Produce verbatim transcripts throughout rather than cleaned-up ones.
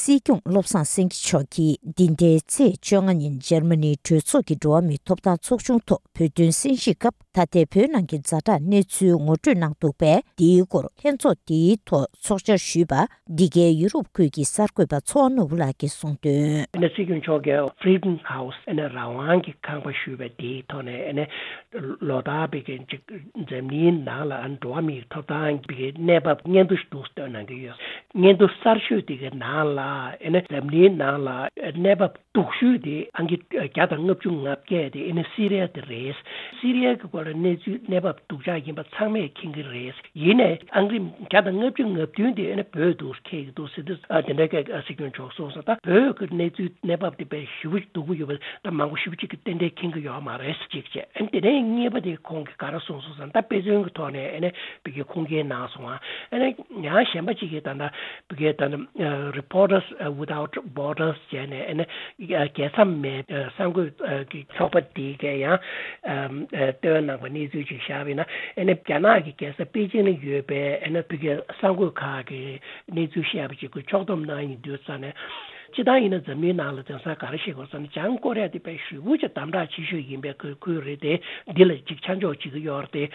སྲིད་སྐྱོང་བློ་བཟང་སེང་གེ་མཆོག་གིས་འདི་ཟླའི་ཚེས་བཅོ་ལྔ་ཉིན་འཇར་མ་ནིའི་གྲོས་ཚོགས་ཀྱི་འགྲོ་བ་མིའི་ཐོབ་ཐང་ཚོགས་ཆུང་ཐོག་བོད་དོན་གསན་བཞེས་སྐབས། ད་ལྟའི་བོད་ནང་གི་ཛ་དྲག་གནས་ཚུལ་ངོ་སྤྲོད་གནང་འདུག་པས། འདིའི་སྐོར་ལྷན་ཚོགས་འདིའི་ཐོག་ཚོགས་བཅར་ཞུས་པ། འདི་གའི་ཡུ་རོབ་ཁུལ་གྱི་གསར་འགོད་པ་ཚོགས་ནོར་བུ་ལགས་ཀྱིས་གསུངས་དོན། ཨ་ནི་སྲིད་སྐྱོང་མཆོག་གིས་Freedom House ཨ་ནི་རང་དབང་གི་ཁང་པ་ཞུས་པ་དེའི་ཐོག་ནས། ཨ་ནི་ལོ་ལྟར་བོད་ཀྱི་འཛམ་གླིང་ནང་ལ་འགྲོ་བ་མིའི་ཐོབ་ཐང་གི་གནས་བབ་སྙན་ཐོ་ཞིག་འདུག་སེ་བཏོན་གནང་གི་ཡོད། སྙན་ཐོ་གསར་ཤོས་དེ་གའི་ནང་ལ། ཨ་ནི་འཛམ་གླིང་ནང་ལ་གནས་བབ་སྡུག་ཤོས་དེ་ཨང་ཀི་བརྒྱ་དང་ལྔ་བཅུ་ང་བརྒྱད་དེ་ཨ་ནི་སི་རི་ཡ་དེ་རེད། སི་རི་ཡ་གི་སྐོར་ལ་གནས་ཚུལ་གནས་བབ་སྡུག་ཅག་ཡིན་པ་ཚང་མས་མཁྱེན་གྱི་རེད། ཡིན་ནའི་ཨང་ཀི་རིམ་བརྒྱ་དང་ལྔ་བཅུ་ང་བདུན་དེ་ཨ་ནི་བོད་འདུག་སེ་འཁེལ་གྱི་འདུག་ཟེར་དུས། ཨ་དེ་འདྲ་གི་སྲིད་སྐྱོང་མཆོག་གསུངས་སོང་། ད་བོད་ཀྱི་གནས་ཚུལ་གནས་བབ་དེ་དཔེ་ཞེ་པོ་སྡུག་པོ་ཡོད་པ་ད་མང་པོ་ཞེ་པོ་ཅིག་གིས་ཏན་ཏན་མཁྱེན་གྱི་ཡོད་མ་རེད་ཟེར་གཅིག་བྱས། ཨ་ནི་དེ་ནས་གཉིས་པ་དེ་ཁོང་གིས་ག་རེ་གསུངས་སོང་ཟེར་ན། ད་དཔེ་མཚོན་གྱི་ཐོག་ནས་ཨ་ནི་བོད་ཀྱི་ཁུངས་སྐྱེལ་གནང་སོང་ང་། ཨ་ནི་ཡང་གཞན་པ་ཅིག་གིས་ད་ལྟ་བོད་ཀྱི་ད་ལྟ་Reporters Without Borders བྱས་ནས། ཨ་ནི་རྒྱལ་མཚམས་མེད་གསར་འགོད་ཀྱི་ཚོགས་པ་དེ་གས་ཡང་བཏོན་གནང་བ་གནས་ཚུལ་ཅིག་བཞག་པ་ཡིན་ན། ཨ་ནི་རྒྱ་ནག་གི་རྒྱལ་ས་པེ་ཅིང་ལ་ཡོད་པའི་ཨ་ནི་བོད་ཀྱི་གསར་འགོད་ཁག་གིས་གནས་ཚུལ་བཤད་པ་ཅིག་གི་ཕྱོགས་བསྡོམས་གནང་ཡིན་དུས་ཙང་ནས། སྤྱིར་བཏང་ཡིན་ན་འཛམ་གླིང་ནང་ལ་དེང་སང་ག་རེ་བཤད་དགོས་ཟེར་ན། བྱང་ཀོ་རི་ཡ་དེ་དཔེ་ཞེ་པོ་ཅིག་དམ་དྲག་ཆེ་ཤོས་ཡིན་པའི་ཁུལ་ཁུལ་རེད་དེ། འདི་ལ་ཅིག་ཆ་འཇོག་བྱེད་ཀྱི་ཡོད་རེད་དེ།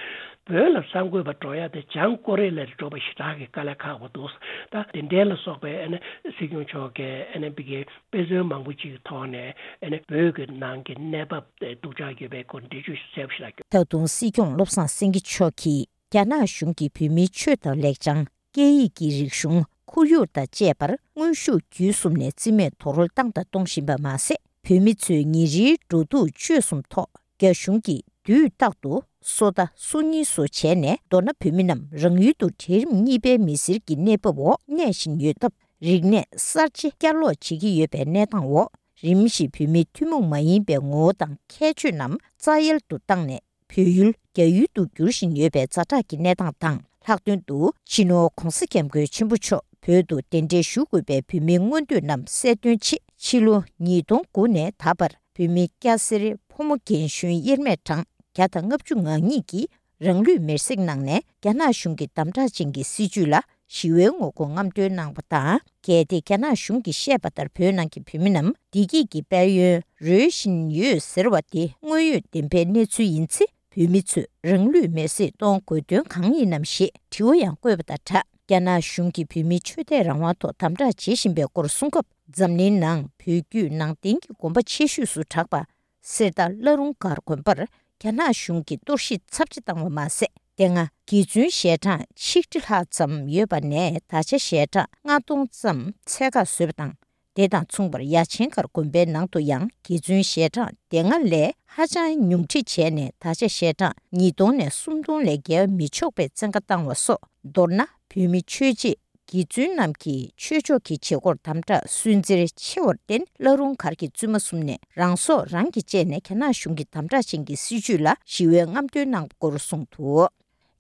བོད་ལ་གསར་འགོད་པ་འགྲོ་ཡ་དེ་བྱང་ཀོ་རི་ཡ་ལས་འགྲོ་བ་ཞེ་དྲག་གི་དཀའ་ལས་ཁག་པོ་འདུག་ད་དེ་འདྲའི་ལ་སོགས་པའི་ཨ་ནི་སྲིད་སྐྱོང་མཆོག་གིས་ཨ་ནི་བོད་ཀྱི་དཔེ་མཚོན་མང་པོ་ཅིག་གི་ཐོག་ནས། ཨ་ནི་བོད་ཀྱི་ནང་གི་གནས་བབ་སྡུག་ཅག་ཡོད་པའི་སྐོར་འགྲེལ་བརྗོད་གསལ་པོ་ཞིག་གནང་རྒྱུ། ད་དུང་སྲིད་སྐྱོང་བློ་བཟང་སེང་གེ་མཆོག་གིས། རྒྱ་ནག་གཞུང་གིས་བོད་མིའི་ཆོས་དང་ལེགས་བྱང་། སྐད་ཡིག་གི་རིག་གཞུང་། ཁོར་ཡུག་དང་བཅས་པར་དངོས་ཤུགས་བརྒྱུད་གསུམ་ནས་རྩིས་མེད་རྡོག་རོལ་བཏང་དང་གཏོང་བཞིན་པ་མ་ཟད། བོད་མི་ཚོའི་ཉིན་རེའི་འགྲོ་འདུག་སྤྱོད་གསུམ་ཐོག་རྒྱ་གཞུང་གིས་དུས་རྟག་ཏུ་སོ་ལྟ་སོ་གཉིས་སོ་བྱས་ནས། མདོར་ན་བོད་མི་རྣམས་རང་ཡུལ་དུ་གྲལ་རིམ་གཉིས་པའི་མི་སེར་གྱི་གནས་བབ་འོག་གནས་བཞིན་ཡོད་སྟབས། རིག་གནས་གསར་བརྗེ་བསྐྱར་ལོག་བྱེད་ཀྱི་ཡོད་པའི་གནས་སྟངས་འོག་རིམ་བཞིན་བོད་མིའི་ཐུན་མོང་མ་ཡིན་པའི་ངོ་བོ་དང་ཁྱད་ཆོས་རྣམས་རྩ་ཡལ་དུ་བཏང་ནས། བོད་ཡུལ་རྒྱ་ཡུལ་དུ་འགྱུར་བཞིན་ཡོད་པའི་ཛ་དྲག་གི་གནས་སྟངས་དང་། ལྷག་དོན་དུ་སྤྱི་ནོར་༧གོང་ས་༧སྐྱབས་མགོན་ཆེན་པོ་མཆོག་བོད་དུ་གདན་འདྲེན་ཞུ་དགོས་པའི་བོད་མིའི་མངོན་འདོད་རྣམས་གསལ་སྟོན་ཆེད། ཕྱི་ལོ་ཉིས་སྟོང་དགུ་ནས་ད་བར་བོད་མི་སྐྱ་སེར་ཕོ་མོ་རྒན་གཞོན་དབྱེར་མེད་གྲངས་བརྒྱ་དང་ལྔ་བཅུ་ང་གཉིས་ཀྱིས་རང་ལུས་མེར་སྲེག་གནང་ནས། རྒྱ་ནག་གཞུང་གི་དམ་དྲག་ཅན་གྱི་སྲིད་བྱུས་ལ་ཞི་བའི་ངོ་རྒོལ་རྔམ་སྟོན་གནང་བ་དང་། གལ་ཏེ་རྒྱ་ནག་གཞུང་གིས་བཤད་པ་ལྟར་བོད་ནང་གི་བོད་མི་རྣམས་བདེ་སྐྱིད་ཀྱི་དཔལ་ཡོན་རོལ་བཞིན་ཡོད་ཟེར་བ་དེ་དངོས་ཡོད་བདེན་པའི་གནས་ཚུལ་ཡིན་ཚེ། བོད་མི་ཚོས་རང་ལུས་མེར་སྲེག་གཏོང་དགོས་དོན་གང་ཡིན་ནམ་ཞེས་དྲི་བ་ཡང་བཀོད་པ་དང་སྦྲགས། རྒྱ་ནག་གཞུང་གིས་བོད་མིའི་ཆོས་དད་རང་དབང་ཐོག་དམ་དྲག་བྱེད་བཞིན་པའི་སྐོར་གསུང་སྐབས། འཛམ་གླིང་ནང་བོད་བརྒྱུད་ནང་བསྟན་གྱི་དགོན་པ་ཆེ་ཤོས་སུ་གྲགས་པ་གསེར་རྟ་བླ་རུང་སྒར་དགོན་པར་རྒྱ་ནག་གཞུང་གིས་གཏོར་བཤིག་ཚབས་ཆེ་བཏང་བ་མ་ཟད། དེ་སྔ་དགེ་བཙུན་ཞལ་གྲངས་ཆིག་ཁྲི་ལྷག་ཙམ་ཡོད་པ་ནས། ད་ཆ་ཞལ་གྲངས་ལྔ་སྟོང་ཙམ་ཚད་བཀག་བཟོས་པ་དང་། དེ་དང་མཚུངས་པར་ཡ་ཆེན་སྒར་དགོན་པའི་ནང་དུ་ཡང་དགེ་བཙུན་ཞལ་གྲངས་དེ་སྔ་ལས་ཧ་ཅང་ཉུང་འཕྲི་བྱས་ནས། ད་ཆ་ཞལ་གྲངས་ཉིས་སྟོང་ནས་སུམ་སྟོང་ལས་བརྒལ་བ་མི་ཆོག་པའི་བཙན་བཀའ་བཏང་བ་སོགས། མདོར་ན་བོད་མི་ཆོས་བྱེད་དགེ་བཙུན་རྣམས་ཀྱིས་ཆོས་ཕྱོགས་ཀྱི་བྱེད་སྒོར་དམ་དྲག་སུན་གཙེར་ཆེ་བར་བརྟེན། བླ་རུང་སྒར་གྱི་བཙུན་མ་གསུམ་ནས་རང་སྲོག་རང་གིས་བཅད་ནས། རྒྱ་ནག་གཞུང་གི་དམ་དྲག་ཅན་གྱི་སྲིད་བྱུས་ལ་ཞི་བའི་རྔམ་སྟོན་གནང་བ་སྐོར་གསུངས་འདུག་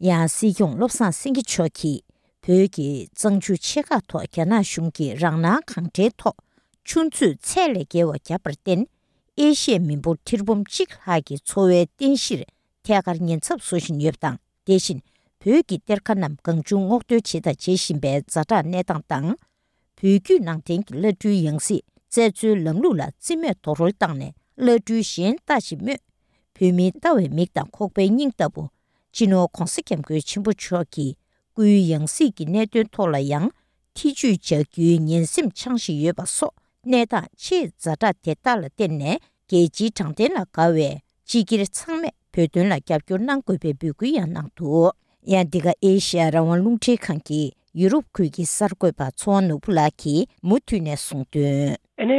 ཡང་སྲིད་སྐྱོང་བློ་བཟང་སེང་གེ་མཆོག་གིས། བོད་ཀྱི་གཙང་ཆུ་ཆེ་ཁག་ཐོག་རྒྱ་ནག་གཞུང་གིས་རང་སྣང་གང་དྲན་ཐོག་ཆུ་མཛོད་ཚད་ལས་བརྒལ་བ་བརྒྱབ་པར་བརྟེན། ཨེ་ཤི་ཡའི་མི་འབོར་ཁྲི་འབུམ་གཅིག་ལྷག་གི་འཚོ་བའི་རྟེན་གཞིར་ཐད་ཀར་ཉེན་ཚབས་བཟོ་བཞིན་ཡོད་པ་དང་། དེ་བཞིན་བོད་ཀྱི་གཏེར་ཁ་རྣམས་གང་བྱུང་སྔོག་འདོན་བྱེད་དང་བྱེད་བཞིན་པའི་ཛ་དྲག་གནས་སྟངས་དང་། བོད་བརྒྱུད་ནང་བསྟན་གྱི་བླ་སྤྲུལ་ཡང་སྲིད་བཙལ་འཚོལ་ལམ་ལུགས་ལ་རྩིས་མེད་རྡོག་རོལ་བཏང་ནས། བླ་སྤྲུལ་གཞན་ལྟ་ཅི་སྨོས། བོད་མིའི་ལྟ་བའི་མིག་དང་ཁོག་པའི་སྙིང་ལྟ་བུ། སྤྱི་ནོར་༧གོང་ས་༧སྐྱབས་མགོན་ཆེན་པོ་མཆོག་གི་སྐུའི་ཡང་སྲིད་ཀྱི་གནད་དོན་ཐོག་ལ་ཡང་ཐེ་ཇུས་བྱ་རྒྱུའི་ངན་སེམས་འཆང་བཞིན་ཡོད་པ་སོགས། གནས་སྟངས་ཆེས་ཛ་དྲག་དེ་དག་ལ་བརྟེན་ནས། རྒྱལ་སྤྱིའི་དྲང་བདེན་ལ་དགའ་བའི་སྤྱི་སྒེར་ཚང་མས་བོད་དོན་ལ་རྒྱབ་སྐྱོར་གནང་དགོས་པའི་འབོད་སྐུལ་ཡང་གནང་འདུག་ཡང་འདི་ག་ཨེ་ཤི་ཡ་རང་དབང་རླུང་འཕྲིན་ཁང་གི་ཡུ་རོབ་ཁུལ་གྱི་གསར་འགོད་པ་ཚོགས་དབང་ནོར་བུ་ལགས་ཀྱིས་མུ་མཐུད་ནས་གསུངས་དོན། ཨ་ནི་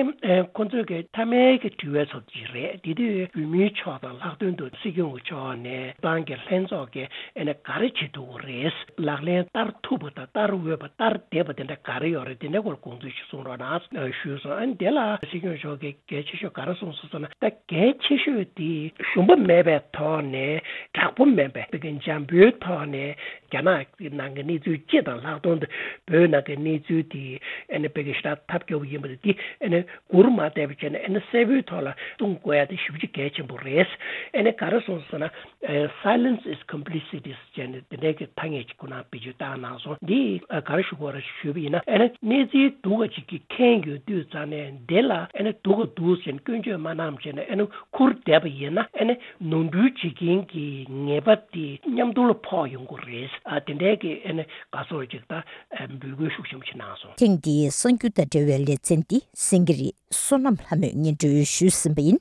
ཁོ་ཚོས་ཀྱི་མཐའ་མའི་གི་དྲི་བའི་ཚབ་ཅིག་རེད། དེ་དུས་བོད་མིའི་ཕྱོགས་དང་ལྷག་དོན་དུ་སྲིད་སྐྱོང་གི་ཕྱོགས་ནས་ཏང་གི་ལྷན་ཚོགས་ཀྱིས་ཨ་ནི་ག་རེ་བྱེད་ཐུབ་ཀྱི་རེད། ལག་ལེན་བསྟར་ཐུབ་པ་དང་བསྟར་འོས་པ་བསྟར་བདེ་བ་དེ་འདྲ་ག་རེ་ཡོད་རེད། དེ་འདྲ་སྐོར་དགོངས་ཚུལ་ཞིག་གསུང་རོགས་གནང་ཞུས་སོང་། ཨ་ནི་དེ་ལ་སྲིད་སྐྱོང་མཆོག་གིས་གལ་ཆེ་ཤོས་ག་རེ་གསུངས་སོང་ཟེར་ན། ད་གལ་ཆེ་ཤོས་དེ་ཞུམ་པ་མེད་པའི་ཐོག་ནས། དྲག་པོ་མིན་པའི་བོད་ཀྱི་འཇམ་པོའི་ཐོག་ནས། རྒྱ་ནག་ནང་གི་གནས་ཚུལ་སྤྱི་དང་ལྷག་དོན་དུ་བོད་ནང་གི་གནས་ཚུལ་དེ་ཨ་ནི་དཔེ་གི་ཞེ་དྲག་ཐབས་སྐྱོ་བོ་ཡིན་པ་དེ་ཨ་ནི་མགུར་མ་བལྟས་པ་བྱས་ན་ཨ་ནི་གསལ་པོའི་ཐོག་ལ་གསུང་དགོས་ཡ་དེ་ཞེ་པོ་ཅིག་གལ་ཆེན་པོ་རེད། ཨ་ནི་ག་རེ་གསུངས་ཟེར་ན། ཨ། Silence is complicity ཟེར་ནས་དེ་འདྲའི་གི་ཐ་སྙད་ཅིག་ཁོ་ན་བེད་སྤྱོད་བཏང་གནང་སོང་། འདི་ཨ་ག་རེ་ཞུ་དགོས་རེད་ཞུས་པ་ཡིན་ན། ཨ་ནི་གནས་ཚུལ་སྡུག་ག་ཅིག་གི་མཁན་ཡོད་དུས་ཙང་ནས་འདི་ལ་ཨ་ནི་སྡུག་ག་འདུག་ཟེར་ནས་སྐྱོན་བརྗོད་མ་གནང་བྱས་ནས་ཨ་ནི་ཁུར་བསྡད་པ་ཡིན་ན། ཨ་ནི་ནོར་འཁྲུལ་བྱེད་མཁན་གྱི་ཉེས་པ་དེ་མཉམ་དུ་ལ་ཕོག་ཡོང་གི་རེད། ཨ། དེ་འདྲའི་གི་ཨ་ནི་ག་ཚོད་ཅིག་ད་ཨ་འབོད་སྐུལ་ཤུགས་ཆེན་པོ་ཞིག་གནང་སོང་། ཐེངས་འདིའི་གསར་འགྱུར་དང་འབྲེལ་བའི་ལེ་ཚན་འདི་སེང་གེ་རི་བསོད་ནམས་ལྷ་མོས་སྙན་སྒྲོན་ཞུས་ཟིན་པ་ཡིན།